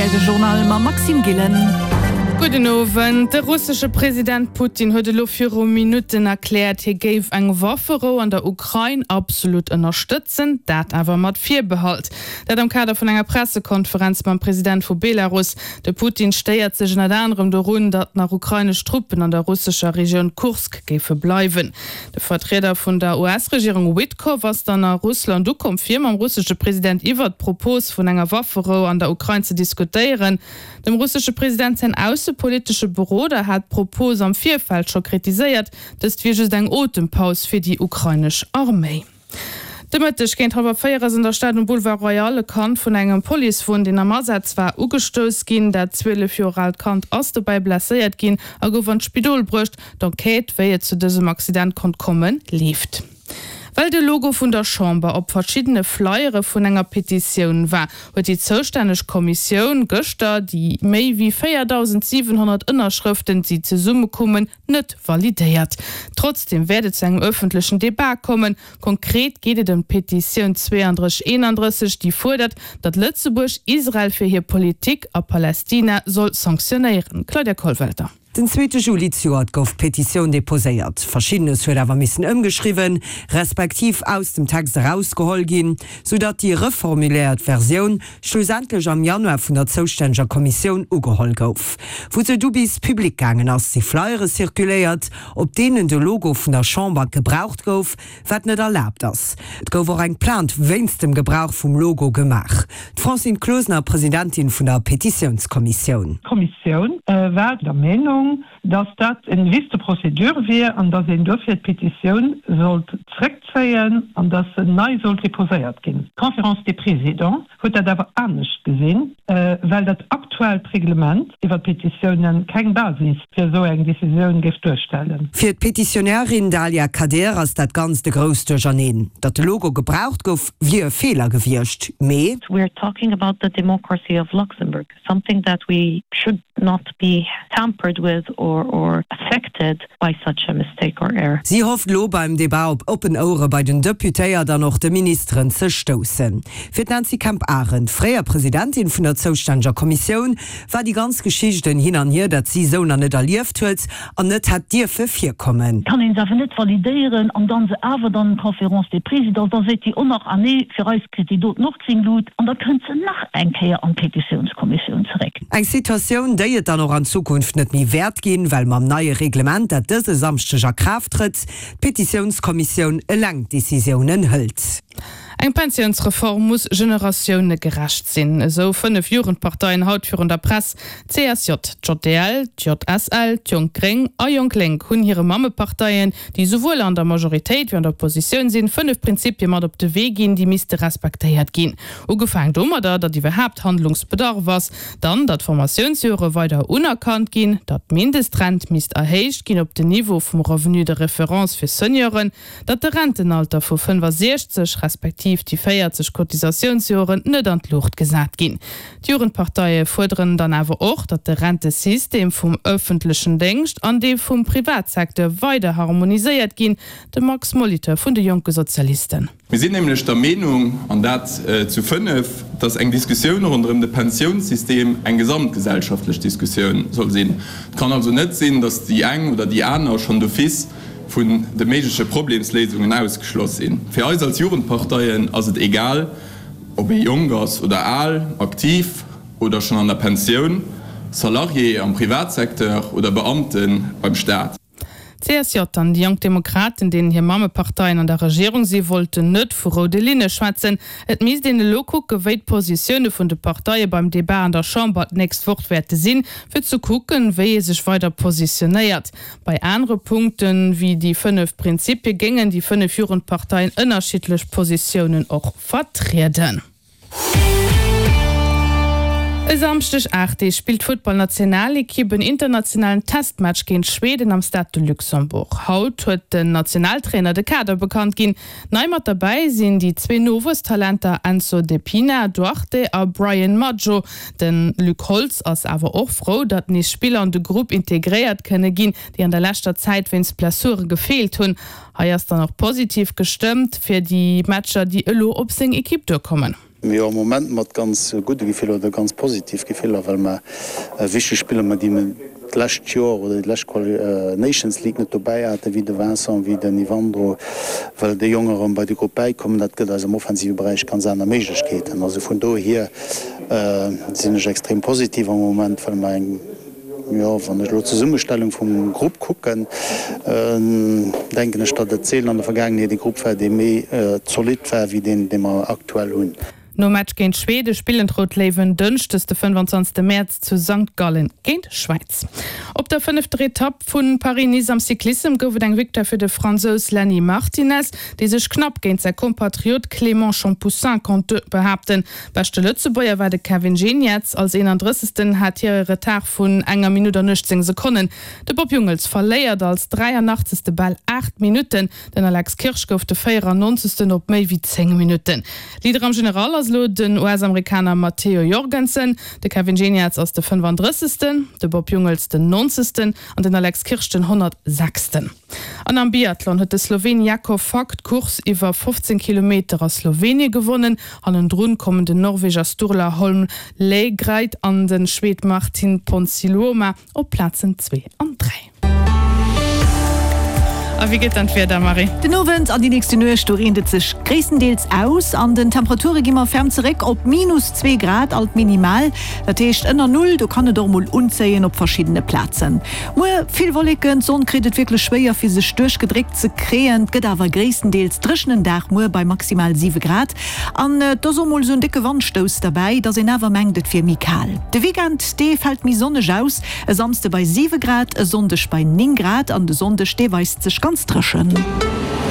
Rtl de Journal mam Maxime Gillen. Gudden Owend. De russesche President Putin huet elo viru Minutten erkläert, hie géif eng Wafferou an der Ukrain absolut ënnerstëtzen, dat awer mat Virbehalt. Dat am Kader vun enger Pressekonferenz mam President vu Belarus. De Putin stéiert sech ënnert anerem dorun, datt nach ukrainesch Truppen an der russescher Regioun Kursk géife bleiwen. De Vertrieder vun der US-Regierung Witkoff ass dann a Russland ukomm, fir mam russesche President iwwert d'Propos vun enger Wafferou an der Ukrain ze diskutéieren. Dem russesche President säin aussepolitesche Beroder hat d'Propos am Virfeld scho kritiséiert, dëst wier just eng Otempaus fir déi ukrainesch Arméi. De Mëtteg géint hallwer 4 ass an der Stad um Boulevard Royal e Kand vun engem Policewon, deen am Asaz war, ugestouss ginn. Dat 12 Joer aalt Kand ass dobäi blesséiert ginn a gouf an d'Spidol bruecht. D'Enquête, wéi et zu dësem Accident konnt kommen, leeft. Well de Logo vun der Chamber op verschiddene Flyere vun enger Petitioun war, huet déi zoustänneg Kommissioun gëschter déi méi wéi 4.700 Ënnerschrëften, déi zesummekummen, net validéiert. Trotzdeem wäert et zu engem ëffentlechen Debat kommen. Konkret geet et ëm d'Petitioun 3231, déi fuerdert, datt Lëtzebuerg Israel fir hir Politik a Palästina soll sanktionéieren. Claudia Kollwelter. Den zweete Juli zejoert gouf d'Petitioun deposéiert. Verschiddenes huet awer missen ëmgeschriwwen, respektiv aus dem Text erausgeholl ginn, soudatt déi reformuléiert Versioun schlussendlech am Januar vun der zoustänneger Kommissioun ugeholl gouf. Wou se du bis public gaangen ass, si Flyere circuléiert, op deenen de Logo vun der Chamber gebraucht gouf, wat net erlaabt ass. Et gouf och eng Plainte wéinst dem Gebrauch vum Logo gemaach. D'Francine Closener, Presidentin vun der Petitiounskommissioun. D'Kommissioun war der Meenung, dass dat en Vice de procédure wier an dass een duerfir d'Petitioun sollt zréckzéien an dass se nei sollt deposéiert ginn. D'Conférence des Présidents huet dat awer anescht gesinn, well dat aktuellt Reglement iwwer d'Petitiounen keng Basis fir esou eng Decisioun géif duerstellen. Fir d'Petitionärin Dalia Kader ass dat Ganzt e grousst Duercherneen. Datt de Logo gebraucht gouf, wier e Feeler gewiescht, mee. We are talking about the democracy of Luxembourg, something that we should not be tampered with or or affected by such a mistake or error. Si hofft elo beim Debat op oppen Ouere bei den Deputéiert an och de Ministeren ze stoussen. Fir d'Nancy Kemp-Arendt, fréier Presidentin vun der zoustänneger Kommissioun, war déi ganz Geschicht en Hin an Hier, dat si esou nach net erlieft huet an net hätt dierfe virkommen. Kann een se awer net validéieren an dann se awer dann Conférence des Présidents, da seet déi och nach, ah nee, fir eis kritt déi doten och gréng Lut an da kënnt se nach eng Kéier an d'Petitiounskommissioun zeréck. Eng Situatioun, déi et dann och an Zukunft net méi wäert ginn, well mam neie Reglement, dat dëse Samschdeg a Kraaft trëtt, d'Petitiounskommissioun eleng d'Decisiounen hëlt. Eng Pensiounsreform muss generatiounegerecht sinn, esou 5 Jugendparteien haut virun der Press. D'CSJ, d'JDL, d'JSL, d'Jonk Gréng a Jonk Lénk hunn hire Mammeparteien, déi esouwuel an der Majoritéit wéi an der Oppositioun sinn, 5 Prinzipie mat op de Wee ginn, déi misste respektéiert ginn. Ugefaang domadder, datt iwwerhaapt Handlungsbedarf ass, dann, datt d'Formatiounsjore weider unerkannt ginn, datt d'Mindestrent misst erhéicht ginn op den Niveau vum Revenu de référence fir Senioren, datt de Rentenalter vu 65 respektiv déi 40 Cotisatiounsjoren net an d'Luucht gesat ginn. D'Jugendparteie fuerderen dann awer och, datt de Rentesystem vum ëffentlechen Déngscht an dee vum Privatsecteur weider harmoniséiert ginn. De Max Molitor vun de Jonke Sozialisten. Mir sinn nämlech der Meenung, an dat zu fënnef, dass eng Diskussioun ronderëm de Pensiounssystem eng gesamtgesellschaftlech Diskussioun soll sinn. Et kann also net sinn, dass déi eng oder déi aner schonn d'office vun de méigleche Problemsléisungen ausgeschloss sinn. Fir eis als Jugendparteien ass et egal, ob ee jonk ass oder al, aktiv oder schonn an der Pensioun, Salarié am Privatsecteur oder Beamte beim Staat. D'CSJ an déi Jonk Demokraten, deenen hir Mammeparteien an der Regierung si wollten net vu roude Linne schwätzen. Et misst een elo kucke wéi d'Positioune vun de Parteie beim Debat an der Chamber d'nächst Woch wäerte sinn, fir ze kucken, wéi ee sech weider positionéiert. Bei anere Punkte wéi déi 5 Prinzipie géingen déi 5 Jugendparteien ënnerschiddlech Positiounen och vertrieden. E Samschdeg 8 Deeg spillt d'Futtballnationalekipp en internationalen Testmatch géint Schweden am Stade de Luxembourg. Haut huet den Nationaltrainer de Kader bekannt ginn. Nei mat derbäi sinn déi zwee Nowuesstalenter Enzo De Pina Duarte a Brian Madjo. De Luc Holtz ass awer och frou, datt nees Spiller an de Grupp integréiert kënne ginn, déi an der leschter Zäit wéinst Blessure gefeelt hunn. Hei ass dann och positiv gestëmmt fir déi Matcher, déi elo op seng Ekipp duerkommen. Jo, am Moment mat ganz gudde Gefiller oder ganz positiv Gefiller, well mer wichteg Spiller, mat déi mer d'lescht Joer oder déi lescht Nations League net dobäi haten, wéi de Vincent, wéi den Ivandro, well déi Jonge erëm bei de Grupp bäikommen. Dat gëtt eis am offensive Beräich ganz aner Méiglechkeeten. Also vun dohier sinn ech extrem positiv am Moment, well mer eng, Jo, wann ech elo d'Zesummestellung vum Grupp kucken, denken ech, datt et seelen an der Vergaangenheet ee Grupp war, dee méi zolidd war wéi deen, dee mer aktuell hunn. Nom Match géint Schwede spillen d'Rout Léiwen dënschdes de 25 Mäerz zu Sankt Gallen géint Schwäiz. Op der fënnefter Etapp vu Paris-Nice am Cyclissem gouf et eng Victoire fir de Fransous Lenny Martinez, dee sech knapp géint säi Kompatriot Clément Champoussin konnt behaapten. Beschte Lëtzebuerger war de Kevin Geniets. Als 31. Hat hie e Retard vun enger Minutt an 18 Sekonnen. De Bob Jungels verléiert als 83. Bal 8 Minutten. Den Alex Kirsch gouf de 94. Op méi wéi 10 Minutten. Leader am General ass elo den US-Amerikaner Matteo Jorgensen. De Kevin Geniets ass de 35. De Bob Jungels den 90. An den Alex Kirsch den 106. An am Biathlon huet de Sloween Jakov Fak d'Course iwwer 15 Kilometer a Slowenie gewonnen. Hannendrun kommen den Norweger Sturla Holm Laegreid an de Schwed Martin Ponsiluoma op d'Plazen 2 an 3. A wéi gëtt dann d'Wieder, Marie? Den Owend an déi nächste Nuecht, do reent et sech gréisstendeels aus. An den Temperature gi mer ferm zeréck op minus 2 Grad alt minimal, dat heescht ënner Null. Do kann et och mol unzéien op verschiddene Plazen. Muer vill Wolleken, d'Sonn kritt et wierklech schwéier fir sech duerchgedréckt ze kréien. Et gëtt awer gréisstendeels dréchenen Dag muer bei maximal 7 Grad an et ass och mol esou en décke Wandstouss derbäi, dass een awer mengt et wier méi kal. De Weekend dee fält méi sonneg aus, e Samsde bei 7 Grad, e Sonndeg bei 9 Grad an de Sonndeg dee weist sech ganz dréchen.